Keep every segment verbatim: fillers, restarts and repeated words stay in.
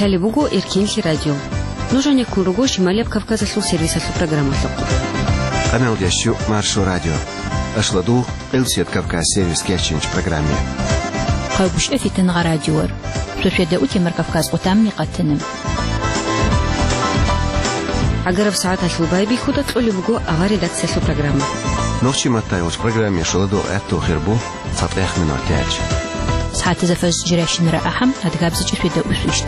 Лъалеб буго Эркенлъи радио. Нуж гьанеккун руго Шималияб Кавказалъул сервисалъул программалъухъ. Къамелдящу Маршо радио. Ашладул Элсет Кавказ сервис кечинч программе. Хъайбушев Фитангъа радиор. Сосведа утемар Кавказ къутамни къатана. Агараб сагӀаталъул байбихьуда кьолеб буго авар редакциялъул программа. Нохчи матайулч программе шоладо этту хирбу. ЦатӀехъ минутач. СагӀатазда фажр жиращинара ахӀам, адгабзичӀ светаусвищ.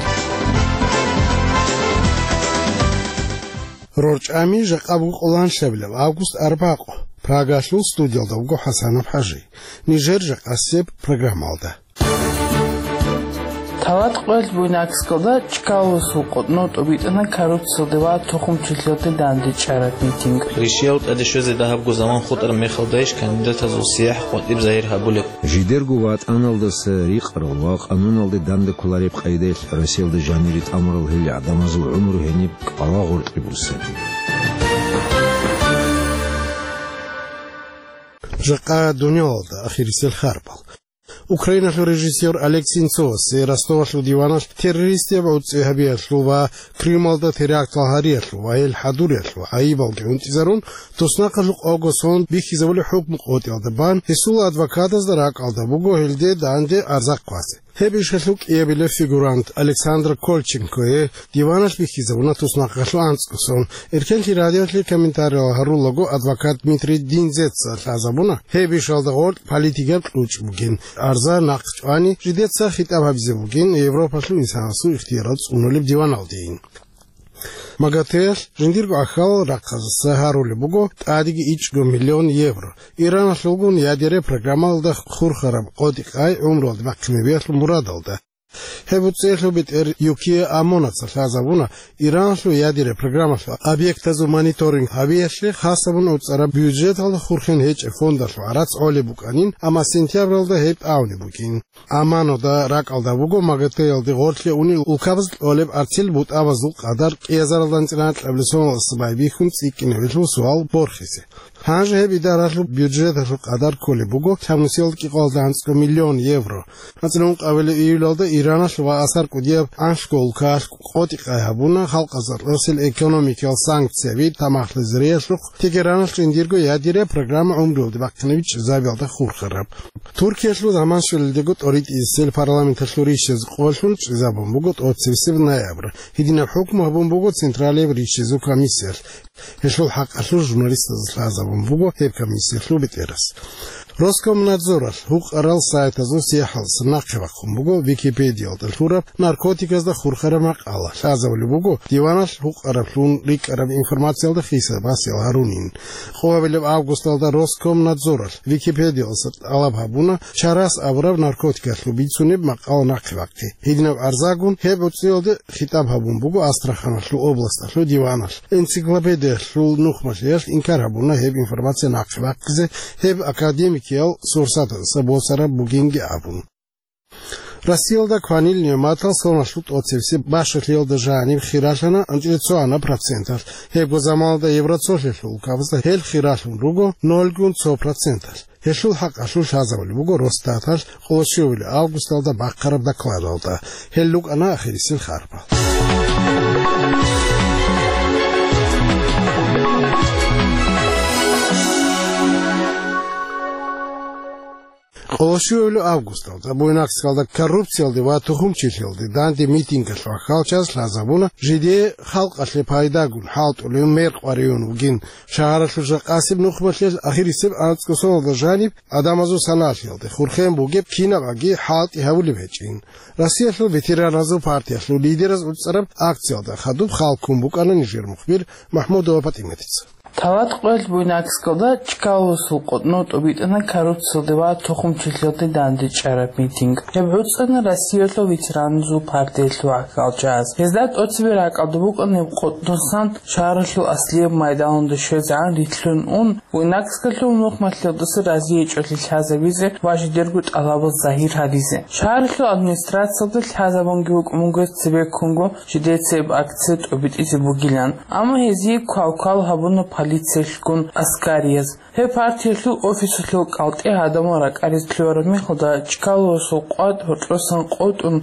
РорчӀами жакъа буго къоланлъабилеб август арбакъо. Прагалъул студиялда вуго ХӀасанов ХӀажи. Нижер жакъасеб программалда. Тават къоялъ Буйнакскалда Чкаловасул къотӀнов тӀубитӀана коррупциялде ва тухумчилъиялде дандечӀараб митинг. Ришиял тӀаде щвезе дагьабго заман хутӀараб мехалдайищ кандидатазул сияхӀ къватӀиб загьир гьабулеб? Жидерго ватӀаналдаса рикъарал ва къануналде данде кколареб къайдаялъ Россиялда жанире тӀамурал гьел гӀадамазул гӀумру гьениб кӀалагъоркье буссаби. Жакъа дуниялалда ахирисел харбал. Украиналъул режиссер Олег Сенцовасе Ростовалъул диваналъ террористияб гӀуцӀи гьабиялъул ва Крымалда терактал гьариялъул ва гьел хӀадуриялъул гӀайибалги унтӀизарун, туснахъалъухъ авго сон бихьизабулеб хӀукму къотӀиялда бан, гьесул адвокатазда ракӀалда буго гьелде данде арза хъвазе. Гьеб ишалъул кӀиабилев фигурант Александр Кольченкое диваналъ бихьизабуна туснахъалъул анцӀго сон. Эркенлъи радиоялъе комментариял гьарулаго адвокат Дмитрий Динзеца лъазабуна гьеб ишалда гъоркь политикаб кьучӀ бугин, арза нахъ чӀвани, жидеца хитӀаб гьабизе бугин Европалъул инсанасул ихтиярал цӀунулеб диваналдейин. МагӀатеялъ жиндирго ахьал рахъазаса гьарулеб буго тӀадеги ичӀго миллион евро, Ираналъулгун ядереб программалда хурхараб къотӀи-къай гӀумруялде бахъинабиялъул мурадалда. Гьеб гӀуцӀиялъул бетӀер Юкия Амонаца лъазабуна, Ираналъул ядереб программалъул объектазул мониторинг гьабиялъе хасабун гӀуцӀараб бюджеталда хурхен гьечӀеб фондалъул гӀарац гӀолеб букӀанин, амма сентябралда гьеб тӀагӀунеб бугин. Амманода ракӀалда буго МагӀатеялде гъорлъе унел улкабаз кьолеб арцел бутӀабазул къадар кӀиазаралда анцӀила анкьабилеб соналдаса байбихьун цӀикӀкӀинабилеб суал борхизе. Гьанже гьеб идаралъул бюджеталъул къадар кколеб буго лъабнусиялда кӀикъоялда анцӀго миллион евро. АнцӀила ункъабилеб июлалда Ираналъ ва асар кӀудияб анлъго улкаялъ къотӀи-къай гьабуна халкъазда росел экономикиял санкцияби тамахлъизариялъухъ Тегераналъ жиндирго ядереб программа гӀумруялде бахъинабичӀеб забиялда хурхараб. Туркиялъул заман щвелалдего тӀоритӀисел парламенталъул ришаз къолъун чӀезабун буго тӀоцебесеб ноябрь. Гьединаб хӀукму гьабун буго Централияб ришазул комиссиялъ. Гьелъул хӀакъалъулъ журналистазда лъазабун буго гьеб комиссиялъул бетӀерас. Роскомнадзоралъ гьукъарал сайтазул сияхӀалдаса нахъе бахъун буго Википедиялда лъураб наркотиказда хурхараб макъала. Лъазабулеб буго диваналъ гьукъараблъун рикӀкӀараб информациялда хиса-басиял гьарунин. Къоабилеб августалда Роскомнадзоралъ Википедиялдаса тӀалаб гьабуна чарас абураб наркотикалъул бицунеб макъала нахъе бахъи. Гьединаб арзагун гьеб гӀуцӀиялде хитӀаб гьабун буго Астраханалъул областалъул диваналъ. Энциклопедиялъул нухмалъиялъ инкар гьабуна гьеб информация нахъе бахъизе, гьеб академикиял сурсатаздаса босараб бугинги абун. Россиялда кванил нигӀматал соналъул тӀоцебесеб бащалъиялда жаниб хиралъана анцӀила цо ана проценталъ. Гьебго заманалда Евроцолъиялъул улкабазда гьел хиралъун руго нолгун цо проценталъ. Гьелъул хӀакъалъулъ лъазабулеб буго Росстаталъ къоло щуабилеб августалда бахъараб докладалда. Гьел рукӀана ахирисел харбал. Къоло щуабилеб августалда Буйнакскалда коррупциялде ва тухумчилъиялде данде митингалъул ахӀалчаз лъазабуна жидее халкъалъе пайдагун хӀалтӀулев мер къваригӀун вугин. Шагьаралъул жакъасеб нухмалъиялъ ахирисеб анцӀго соналда жаниб гӀадамазул саналъиялде хурхен бугеб кинабаги хӀалтӀи гьабулеб гьечӀин. Россиялъул ветераназул партиялъул лидераз уцӀцӀараб акциялда хадуб хал ккун букӀана нижер мухбир МахӀмудова ПатӀиматица. Тават къоялъ Буйнакскалда Чкаловасул къотӀнов тӀубитӀана коррупциялде ва тухумчилъиялде дандечӀараб митинг. Гьеб гӀуцӀана Россиялъул ветераназул партиялъул ахӀалчаз. Гьезда тӀоцебе ракӀалда букӀана гьеб къотӀносан шагьаралъул аслияб майданалда щвезегӀан рилълъун ун, Буйнакскалъул нухмалъиялдаса разиячӀолъи лъазабизе ва жидерго тӀалабал загьир гьаризе. Шагьаралъул администрациялда лъазабунги букӀун буго цебеккунго жидеца гьеб акция тӀубитӀизе бугилан, амма гьезие квалквал гьабуна полициялъгун аскарияз. Гьеб партиялъул офисалъул кӀалтӀе гӀадамал ракӀаризе лъугьараб мехалда Чкаловасул къватӀ гьоркьосан къотӀун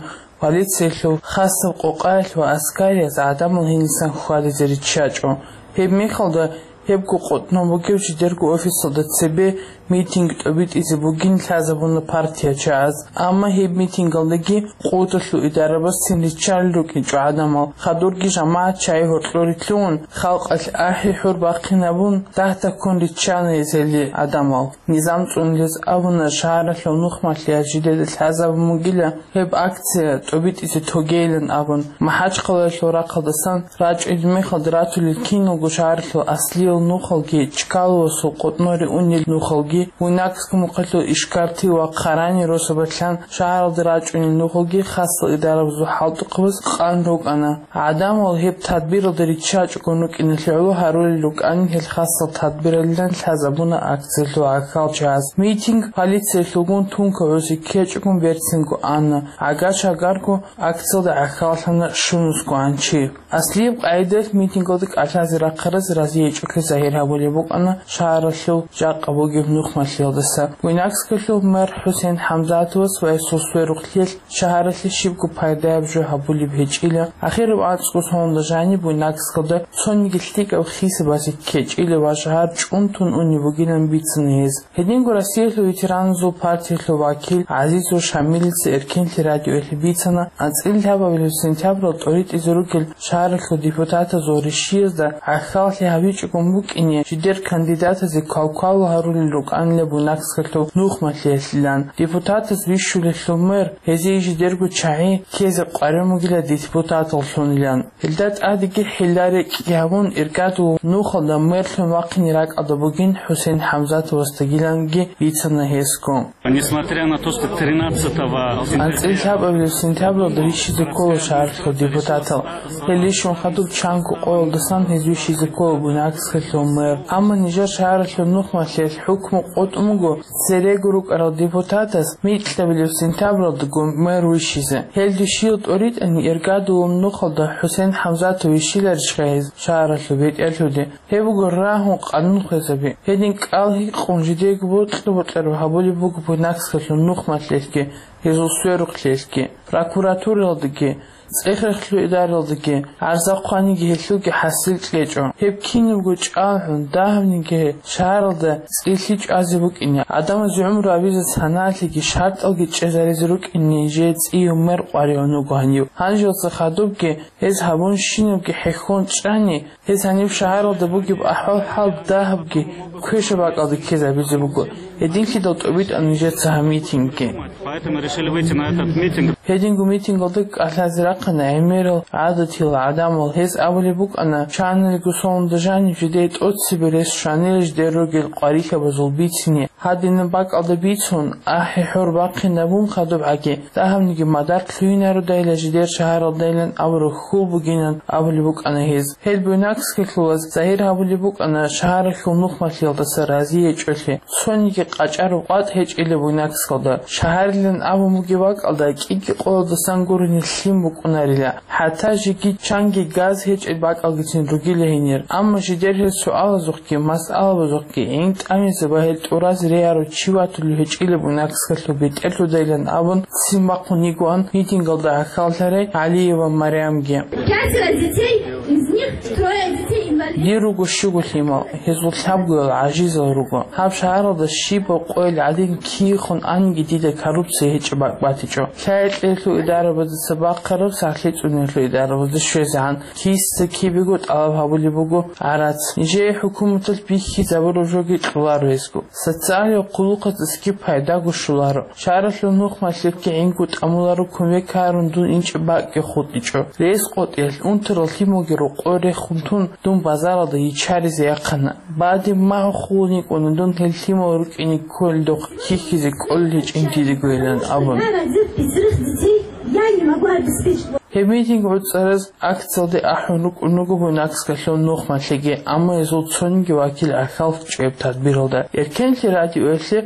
Полициялъул хасаб къокъаялъ ва аскариялъ гӀадамал гьенисан хьвадизе риччачӀо. Гьеб мехалда гьебго къотӀнав бугев жидерго офисалда цебе митинг тӀобитӀизе бугин лъазабуна партиячагӀаз. Амма гьеб митингалдаги къотӀалъул идарабазцин риччалел рукӀинчӀо гӀадамал. Хадурги жамагӀат чагӀи гьоркьоре лъугьун, халкъалъ ахӀи-хӀур бахъинабун, дагь-таккун риччана гьезие гӀадамал. Низам цӀунулез абуна, шагьаралъул нухмалъиялъ жидеда лъазабун бугила гьеб акция тӀобитӀизе тогейилан абун. МахӀачхъалаялъул рахъалдасан рачӀунел мехалда ратулел киналго шагьаралъул аслиял нухалги, Чкаловасул къотӀноре унел нухалги, Буйнакскалъул Ишкарти ва Хъарани росабалъан шагьаралда рачӀунел нухалги хасал идарабазул хӀалтӀухъабаз къан рукӀана. ГӀадамал гьеб тадбиралда риччачӀогун рукӀиналъе гӀоло гьарулел рукӀани гьел хасал тадбиралилан лъазабуна акциялъул гӀахьалчагӀаз. Митинг полициялъулгун тункаб гӀуси ккечӀогун берцинго ана. ГӀагар-шагарго акциялда гӀахьаллъана щунусго гӀанчи. Аслияб къагӀидаялъ митингалда кӀалъазе рахъараз разиячӀухъе загьир гьабулеб букӀана шагьаралъул жакъа бугеб нухмалъиялдаса. Буйнакскалъул мэр ХӀусен ХӀамзатовас ва гьесул сверухълъиялъ шагьаралъе щибго пайдаяб жо гьабулеб гьечӀила. Ахираб анцӀго соналда жаниб Буйнакскалда цониги лъикӀаб хисабазе ккечӀила ва шагьар чӀунтун унеб бугилан бицана гьез. Гьединго Россиялъул ветераназул партиялъул вакил ГӀазизов Шамилица Эркенлъи радиоялъе бицана, анцӀила лъабабилеб сентябрал тӀоритӀизе ругел шагьаралъул депутатазул ришиязда гӀахьаллъи гьабичӀогун букӀине, жидер кандидатазе квалквал гьарулел рукӀанила Буйнакскалъул нухмалъиялъилан. Депутатаз вищулелъул мэр гьезие жидерго чагӀи ккезе къваригӀун бугила депутаталлъунилан. Гьелда тӀадеги хӀилла-рекӀкӀ гьабун, иргадул нухалда мэрлъун вахъине ракӀалда бугин ХӀусен ХӀамзатовасдагиланги бицана гьесго. Несмотря на то, что тринадцатого сентября... АнцӀила лъабабилеб сентябралда вищизе ккола шагьаралъул депутатал. Гьел рищун хадуб чанго къоялдасан гьез вищизе ккола Буйнакскалъул мэр. Амма нижер шагьаралъул нухмалъиялъ хӀукму къотӀун буго церего рукӀарал депутатас микьабилеб сентябралдаго мэр вищизе. Гьел душиял тӀоритӀани иргадулаб нухалда ХӀусен ХӀамзатов вищиларищха гьез шагьаралъул бетӀерлъуде? Гьеб буго рагьун къанун хвезаби. Гьедин кӀал гьикъун жидеего бокьа-бокьараб гьабулеб буго Буйнакскалъул нухмалъиялъги, гьезул сверухълъиялъги, прокуратуралдаги, цӀех-рехлъул идаралдаги, гӀарза хъваниги гьелъулги хӀасил кьечӀо. Гьеб кинабго чӀалгӀун, дагьабниги шагьаралда цӀилъи чӀвазе букӀине, гӀадамазе гӀумру абизе санаялъеги шартӀалги чӀезаризе рукӀине нижее цӀияб мэр къваригӀун вуго гьанив. Гьанжелца хадубги гьез гьабун щинабги хӀехьон чӀани, гьез гьаниб шагьаралда бугеб ахӀвал-хӀал дагьабги квешаб бакӀалде ккезабизе буго. Гьединлъидал тӀобитӀана нижеца гьаб митингги. Поэтому решили выйти на этот митинг. Гьединго митингалда кӀалъазе рахъана гӀемерал гӀадатиял гӀадамал. Гьез абулеб букӀана, чанилго соналда жаниб жидее тӀоцебе рес щванила жидер ругел къварилъабазул бицине. Гьадинаб бакӀалда бицун, ахӀи-хӀур бахъинабун хадубгӀаги, дагьабниги мадар лъугьинародайила жидер шагьаралдайилан абураб хьул бугинан абулеб букӀана гьез. Гьел Буйнакскалъулаз загьир гьабулеб букӀана шагьаралъул нухмалъиялдаса разиячӀолъи. Цониги къачӀараб къватӀ гьечӀила Буйнакскалда. Шагьарилан абун бугеб бакӀалда кӀиги къоялдасангурни лъим букӀунарила. ХӀатта жеги чанги газ гьечӀеб бакӀалгицин ругила гьенир. Амма жидер гьел суалазухъги масъалабазухъги гӀин тӀамизе ва гьел тӀуразе регӀарав чи ватулев гьечӀила Буйнакскалъул бетӀерлъудайилан абун ццин бахъун йигоан митингалда гӀахьаллъарай ГӀалиева Марямги. Пятеро детей, из них трое детей инвалидов. Дир руго щуго лъимал, гьезул лъабгоял гӀажизал руго. Гьаб шагьаралда щибаб къойил гӀадин киехун аниги дида коррупция гьечӀеб бакӀ батичӀо. Лъай-кьеялъул идарабазда цебе бахъараб, сахлъи цӀуниялъул идарабазда щвезегӀан киса-кибего тӀалаб гьабулеб буго гӀарац. Нижее хӀукуматалъ бихьизабураб жоги кьоларо гьезго. Социалияб хъулухъаздаги пайдаго щоларо. Шагьаралъул нухмалъиялъги гӀинго тӀамуларо кумек гьарун дун инчӀеб бакӀги хутӀичӀо. Рес къотӀиялъ унтарал лъималги рокъор рехун тун, дун базаралда йиччаризе яхъана. Бадиб магьу хулун йикӀуна дун гьел лъимал рукӀине кколелдухъ хьихьизе кӀолел гьечӀин дидегойилан абун. Жена родит пятерых детей, я не могу обеспечить. Гьеб митинг гӀуцӀараз акциялде ахӀун рукӀун руго Буйнакскалъул нухмалъиги, амма гьезул цониги вакил гӀахьаллъичӀеб тадбиралда. Эркенлъи радиоялъе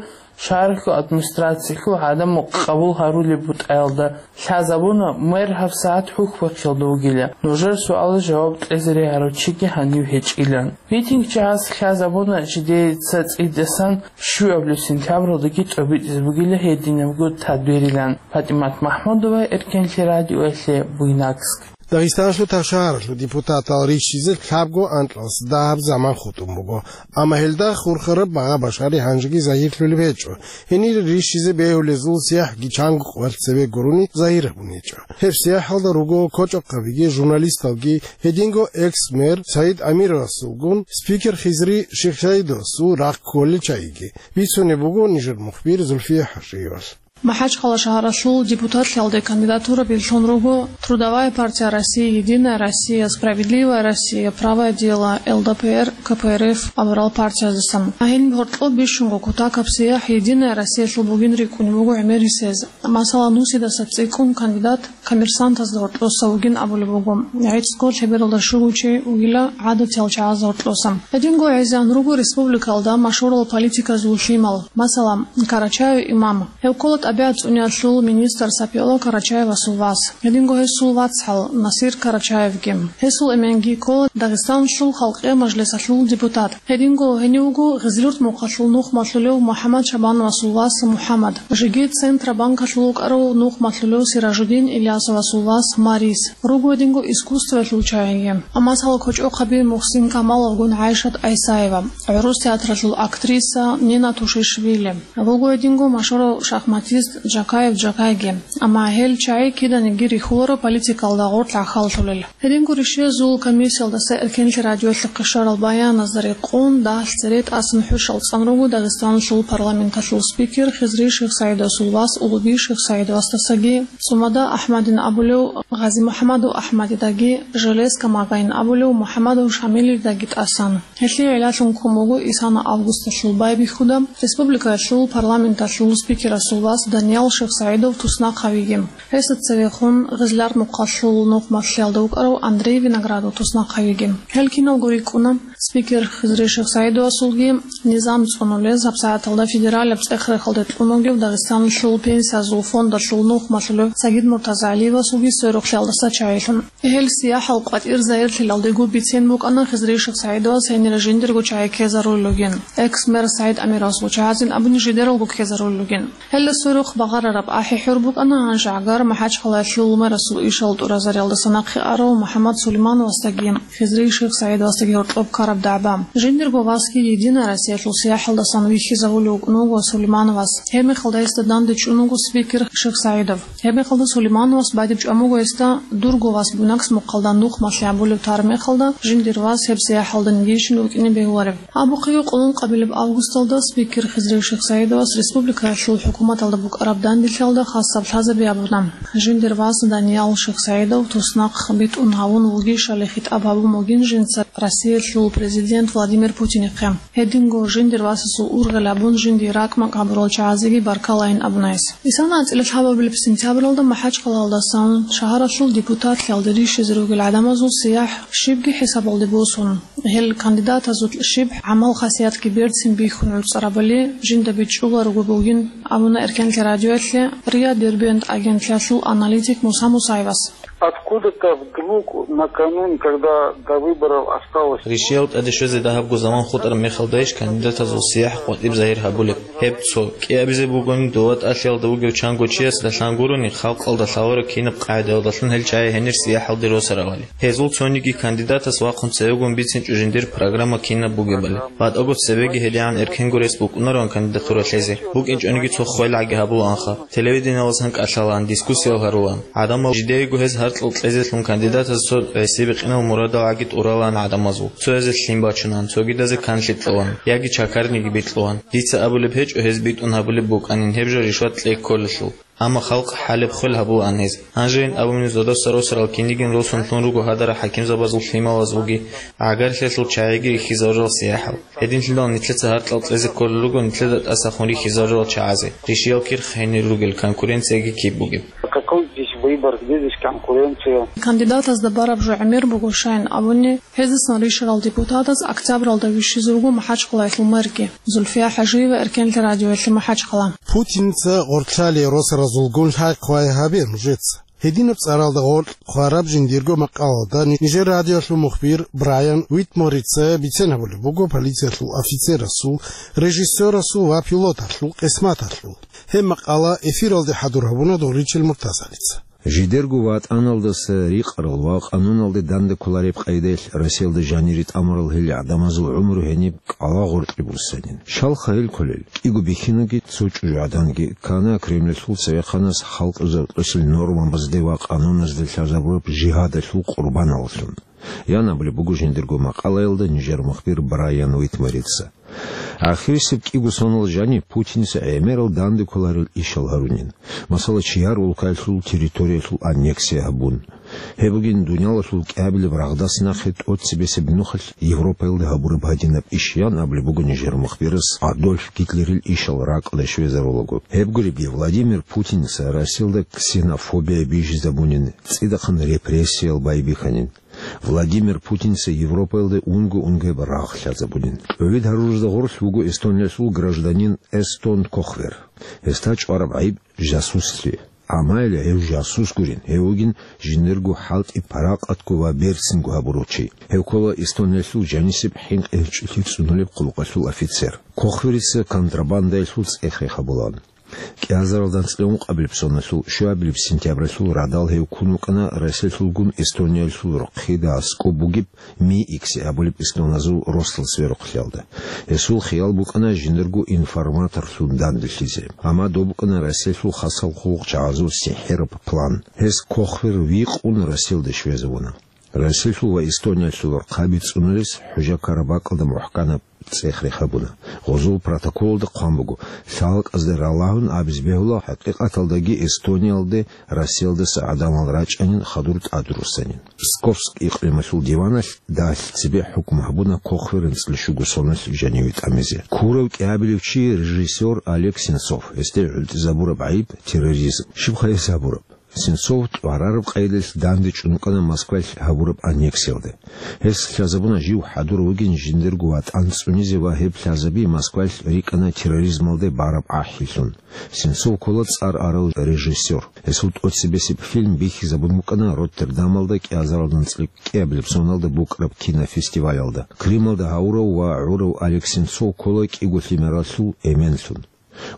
Шагьаралъул администрациялъул гӀадамал къабул гьарулеб бутӀаялда лъазабуна мэр гьабсагӀат хӀухьбахъиялда вугила. Нужер суалаз жаваб кьезе регьарав чиги гьанив гьечӀилан. Митингчияс лъазабуна жидеца цӀидасан щуабилеб сентябралдаги тӀобитӀизе бугила гьединабго тадбирилан. ПатӀимат МахӀмудова, Эркенлъи радиоялъе, Буйнакск. Дагъистаналъул тавшагьаралъул депутатал рищизе лъабго анкьалас дагьаб заман хутӀун буго, амма гьелда хурхараб багъа-башари гьанжеги загьирлъулеб гьечӀо. Гьенир рищизе бегьулезул сияхӀги чанго къварцеве гурони загьир гьабун гьечӀо. Гьеб сияхӀалда руго кочӀохъабиги, журналисталги, гьединго экс-мэр Саид Амировасулгун спикер Хизри Шихсаидовасул рахъ кколел чагӀиги. Бицунеб буго нижер мухбир Зульфия ХӀажиевалъ. МахӀачхъала шагьаралъул депутатлъиялде кандидатура берлъун руго Трудовая партия России, Единая Россия, Справедливая Россия, Правое дело, ЛДПР, КПРФ абурал партияздасан. Гьениб гьоркьоб бищунго кутакаб сияхӀ Единая Россиялъул бугин рикӀкӀунеб буго гӀемерисез. Масала, нусидаса цӀикӀкӀун кандидат коммерсантазда гьоркьоса вугин абулеб буго. ГӀицӀго лъебералда щуго чи вугила гӀадатиял чагӀазда гьоркьоса. Гьединго гӀезегӀан руго республикалда машгьурал политиказул лъимал, масала, Карачаев Имам. Гьев ккола тӀабигӀат цӀуниялъул министр Сапиолла Карачаевасул вас. Гьединго гьесул вацгӀал Насир Карачаевги. Гьесул эменги ккола Дагъистаналъул Халкъиял Мажлисалъул депутат. Гьединго гьенив вуго Гъизлюрт мухъалъул нухмалъулев МухӀаммад Шабановасул вас МухӀаммад. Жеги Центробанкалъул вукӀарав нухмалъулев Сиражудин Ильясовасул вас Марис. Руго гьединго искусствоялъул чагӀиги. Амма масала, кочӀохъаби Мухсин Камаловгун ГӀайшат ГӀисаева, гӀурус театралъул актриса Нина Тушишвили. Руго гьединго машгьурав шахматист Джакаев Джакайги. Амма гьел чагӀи киданиги рихьуларо политикалда гъорлъ гӀахьаллъулел. Гьединго ришезул комиссиялдаса Эркенлъи радиоялъухъе щварал баяназда рекъон, дагьалъ цере тӀасан хӀушал цӀан руго Дагъистаналъул парламенталъул спикер Хизри Шихсаидовасул вас Улуби Шихсаидовасдасаги, ЦӀумада АхӀмадин абулев ГъазимухӀаммадов АхӀмадидаги, Железка Магъайин абулев МухӀаммадов Шамилидаги тӀасан. Гьелъие гӀиллалъун ккун буго исана августалъул байбихьуда республикаялъул парламенталъул спикерасул вас Даниял Шихсаидов туснахъавиги. Гьесда цевехун Гъизлярт мухъалъул нухмалъиялда вукӀарав Андрей Виноградов туснахъавиги. Гьел киналго рикӀкӀуна спикер Хизри Шихсаидовасулги низам цӀунулез гьабсагӀаталда федералияб цӀех-рехалде кьун вугев Дагъистаналъул пенсиязул фондалъул нухмалъулев Сагид МуртазагӀалиевасулги сверухълъиялдаса чагӀилъун. Гьел сияхӀал къватӀир загьирлъиялдего бицен букӀана Хизри Шихсаидовас гьенир жиндирго чагӀи ккезарулел ругин. Экс-мэр СагӀид Амировасул чагӀазин абуни жидералго ккезарулел ругин. Гьелда сверухъ багъарараб ахӀи-хӀур букӀана гьанже гӀагар МахӀачхъалаялъул мэрасул ишал тӀуразариялдаса нахъе арав МухӀаммад Сулеймановасдаги Хизри Шихсаидовасдаги гьоркьоб ккараб дагӀба. Жиндирго васги Единая Россиялъул сияхӀалдасан вихьизавулев вукӀун вуго Сулеймановас. Гьебмехалда гьесда данде чӀун вуго спикер Шихсаидов. Гьебмехалда Сулеймановас бадиб чӀван буго гьесда дурго вас Буйнакск мухъалда нухмалъи гьабулев тар мехалда, жиндир вас гьеб сияхӀалда нигейщин вукӀине бегьуларев. Абухъе къулун къабилеб августалда спикер Хизри Шихсаидовас республикаялъул хӀукуматалда букӀараб данделъиялда хасаб лъазаби гьабуна. Жиндир вас Даниял Шихсаидов туснахъ битӀун гьавун вугищали хитӀаб гьабун бугин жинца Россиялъул президент Владимир Путинихъе. Гьединго жиндир васасул ургъел гьабун жиндие ракӀ-макӀ гьабурал чагӀазеги баркалайин абуна гьес. Исана анцӀила лъабабилеб сентябралда МахӀачхъалаялдасан шагьаралъул депутатлъиялде рищизе ругел гӀадамазул сияхӀ щибги хӀисабалде босун, гьел кандидатазул щиб гӀамал-хасиятги берцин бихьун гӀуцӀарабали жинда бичӀчӀуларого бугин абуна Эркенлъи радиоялъе РИА Дербент агентлъиялъул аналитик Муса Мусаевас. Откуда-то вдруг накануне, когда до выборов осталось... Ришиял тӀаде щвезе дагьабго заман хутӀараб мехалдайищ кандидатазул сияхӀ къватӀиб загьир гьабулеб? Гьеб цо кӀиабизе бугони, дова тӀалъиялда вугев чанго чиясда лъан гурони, халкъалда лъалареб кинаб къагӀидаялдалъун гьел чагӀи гьенир сияхӀалде росаравали. Гьезул цониги кандидатас вахъун цевегун бицинчӀо жиндир программа кинаб бугебали. БатӀаго цебеги гьедигӀан эркенго рес букӀунароан кандидатура лъезе. БукӀинчӀониги цо хвелгӀаги гьабулаанха. Телевиденияласан кӀалъалаан, дискуссиял гьарулаан. ГӀадамал жидеего гьез гьаркьал кьезелъун кандидатаз цо гӀисибикъинал мурадалгӀаги тӀуралаан гӀадамазул. Цоязе лъим бачунаан, цогидазе канлъи кьолаан, яги чакарниги бикьулаан. Дица абулеб гьечӀо гьез битӀун гьабулеб букӀанин, гьеб жо ришват кьей кколелъул. Амма халкъ хӀалеб хвел гьабулаан гьез. Гьанжейин абуни зодаса росарал кинигин росун лъун руго гьадарал хӀакимзабазул лъималазулги, гӀагарлъиялъул чагӀиги рихьизарурал сияхӀал. Гьединлъидал нилъеца гьаркьал кьезе кколел руго нилъеда тӀасахун рихьизарурал чагӀазе, ришиял кирхъ гьенир ругел, конкуренцияги киб бугеб. Какой здесь Выбор, здесь есть конкуренция. Кандидатазда бараб жо гӀемер буго, щайин абуни, гьездасан рищарал депутатаз октябралда вищизе вуго МахӀачхъалаялъул мэрги. Зульфия ХӀажиева Эркенлъи радиоялъе, МахӀачхъала. Путинца гъоркьлъалие росаразулгун лъай-хъвай гьабе нужеца. Гьединаб цӀаралда гъоркь хъвараб жиндирго макъалалда нижер радиоялъул мухбир Брайан Уитморица бицен гьабулеб буго полициялъул офицерасул, режиссерасул ва пилоталъул къисматалъул. Гьеб макъала эфиралде хӀадур гьабуна Доричел Муртазалица. Жидерго ватӀаналдаса рикъарал ва къануналде данде кколареб къайдаялъ Россиялда жанире тӀамурал гьел гӀадамазул гӀумру гьениб кӀалагъоркье бурсанин. Щалха гьел кколел? КӀиго бихьинги цо чӀужугӀаданги ккана Кремльалъул цевехъанас халкъ рокьулел нормабазде ва къануназде лъазабураб жигьадалъул къурбаналлъун. Ян абулеб буго жиндирго макъалаялда нижер мухбир Брайан Уитморица. Ахирисеб кӀиго сонал жаниб Путинца гӀемерал данде кколарел ишал гьарунин. Масала, чияр улкаялъул территориялъул аннексия гьабун. Гьеб бугин дуниялалъул кӀиабилеб рагъдас нахъе тӀоцебесеб нухалъ Европаялда гьабураб гьадинаб иш, ян абулеб буго нижер мухбирас Адольф Гитлерил ишал ракӀалде щвезарулаго. Гьеб гуребги, Владимир Путинца Россиялда ксенофобия бижизабунин, цӀидахъан репрессиял байбихьанин. Владимир Путинца Европаялда унго-унгояб рагъ лъазабунин. КӀовид гьарурузда гъорлъ вуго Эстониялъул гражданин Эстон Кохвер. Гьесда чӀвараб гӀайиб жасуслъи. Амма гьев жасус гурин, гьев вугин жиндирго хӀалтӀи паракъатго ва берцинго гьабурав чи. Гьев ккола Эстониялъул жанисеб хӀинкъи гьечӀолъи цӀунулеб къуллукъалъул офицер. Кохверица контрабандаялъул цӀех рехабулаан. КӀиазаралда анцӀила ункъабилеб соналъул щуабилеб сентябралъул радал гьев ккун вукӀана Россиялъулгун Эстониялъул рохъида аскӀоб бугеб Ми икси абулеб эстоназул росдал сверухълъиялда. Гьесул хиял букӀана жиндирго информаторлъун данделъизе. Амма доб букӀана Россиялъул хасал хъулухъчагӀазул сихӀираб план. Гьес Кохвер викъун Россиялде щвезавуна. Россиялъул ва Эстониялъул рохъаби цӀунулес хӀужа ккараб бакӀалда мухӀканаб цӀех рехабуна. Гъозул протоколалда хъван буго, лъалкӀазда ралагьун абизе бегьула, хӀакъикъаталдаги Эстониялде Россиялдаса гӀадамал рачӀанин, хадур тӀадруссанин. Псковск икълималъул диваналъ дагьлъи цебе хӀукму гьабуна Кохвер анцӀила щуго соналъ жаниве тӀамизе. Ккурав кӀиабилев чи режиссер Олег Сенцов, гьесде гӀунтӀизабураб гӀайиб терроризм. Щибха гьес гьабураб? Сенцов тӀварараб къайдалъ данде чӀун вукӀана Москвалъ гьабураб аннексиялда. Гьес лъазабуна жив хӀадур вугин жиндирго ватӀан цӀунизе ва гьеб лъазаби Москвалъ рикӀкӀана терроризмалде бараб ахӀилъун. Сенцов ккола цӀар арал режиссер. Гьесул тӀоцебесеб фильм бихьизабун букӀана Роттердамалда кӀиазаралда анцӀила кӀиабилеб соналда букӀараб кинофестивалалда. Крымалда гьавурав ва гӀурав Олег Сенцов ккола кӀиго лъимералъул эменлъун.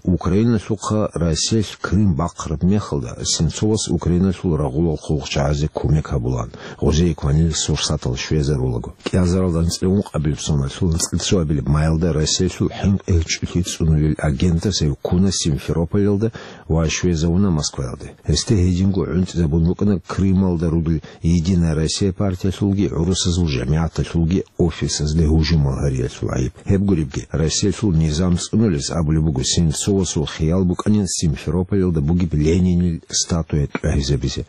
Украиналъухъа Россиялъ Крым бахъараб мехалда, Сенцовас Украиналъул рагъулал хъулухъчагӀазе кумек гьабулаан, гъозие кванил сурсатал щвезарулаго. КӀиазаралда анцӀила ункъабилеб соналъул анцӀила цоабилеб майалда Россиялъул хӀинкъи гьечӀолъи цӀунулел агентас гьев ккуна Симферополалда ва щвезавуна Москваялде. Гьесде гьединго гӀунтӀизабун букӀана Крымалда ругел «Единая Россия» партиялъулги гӀурусазул жамигӀаталъулги офисазде гьужумал гьариялъул гӀайиб. Гьеб гуребги, Россиялъул низам цӀунулес абулеб буго Сенцовасул хиял букӀанин Симферополалда бугеб Ленинил статуя тӀагьизабизе.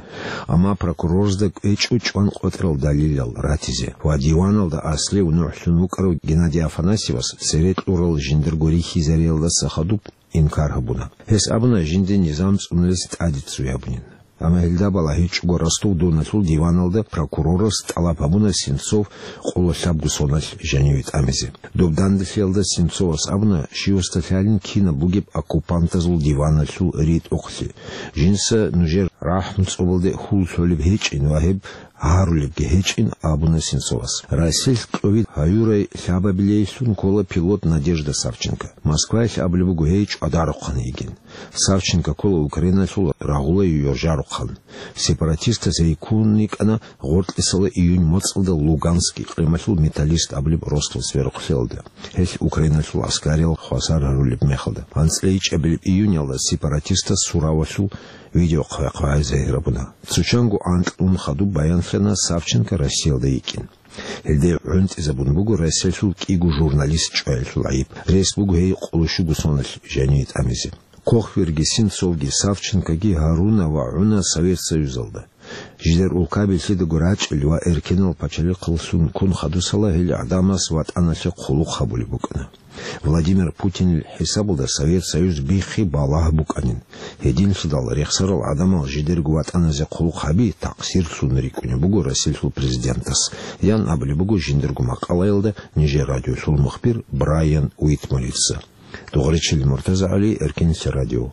Амма прокурорзда кӀвечӀо чӀван къотӀрал далилал ратизе ва диваналда аслев нухӀлъун вукӀарав Геннадий Афанасьевас цере кьурал жиндирго рихьизариялдаса хадуб инкар гьабуна. Гьес абуна, жинда низам цӀунулес тӀаде ццуй гьабунин. Амма гьелда балагьичӀого Ростов-Доналъул диваналда прокурорас тӀалаб гьабуна Сенцов къоло лъабго соналъ жаниве тӀамизе. Доб данделъиялда Сенцовас абуна, щивасда лъалин кинаб бугеб оккупантазул диваналъул ритӀухълъи. Жинца нужер рахӀму цӀобалде хьул лъолеб гьечӀин ва гьеб гьарулебги гьечӀин, абуна Сенцовас. Россиялъ кьовид гьаюрай лъабабилейилъун ккола пилот Надежда Савченко. Москваялъ абулеб буго гьей чӀвадарухъан йигин. Савченко ккола Украиналъул рагъулай йоржарухъан. Сепаратистаз гьей ккун йикӀана гъоркьисала июнь моцӀалда Луганск икълималъул Металлист абулеб росдал сверухълъиялда, гьелъ Украиналъул гӀаскариял хвасар гьарулеб мехалда. АнцӀила ичӀабилеб июньалда сепаратистаз суравалъул видео хъвай-хъвай загьир гьабуна. Цо чанго анкьнун хадуб баянлъана Савченко Россиялда йикӀин. Гьелде гӀунтӀизабун буго Россиялъул кӀиго журналист чӀваялъул гӀайиб. Рес буго гьей къоло щуго соналъ жаниве тӀамизе. Кохверги, Сенцовги, Савченкоги гьаруна ва гӀуна Совет Союзалда. Жидер улкаби лъидаго рачӀел ва эркенал пачалихъалъун ккун хадусала гьел гӀадамаз ватӀаналъе хъулухъ гьабулеб букӀана. Владимир Путинил хӀисабалда Совет Союз биххи балагь букӀанин. Гьединлъидал рехсарал гӀадамал жидерго ватӀаназе хъулухъ гьаби такъсирлъун рикӀкӀунеб буго Россиялъул президентас, ян абулеб буго жиндирго макъалаялда нижер радиолъул мухбир Брайан Уитморица. Дугъричил Муртаза ГӀали, Эркенлъи радио.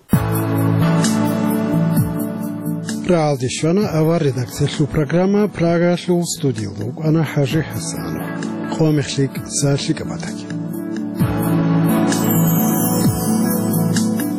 Рагьалде щвана авар редакциялъул программа, Прагалъул студиялда вукӀана ХӀажи ХӀасанов. Къо мехлъи, са лъикӀаб батаги.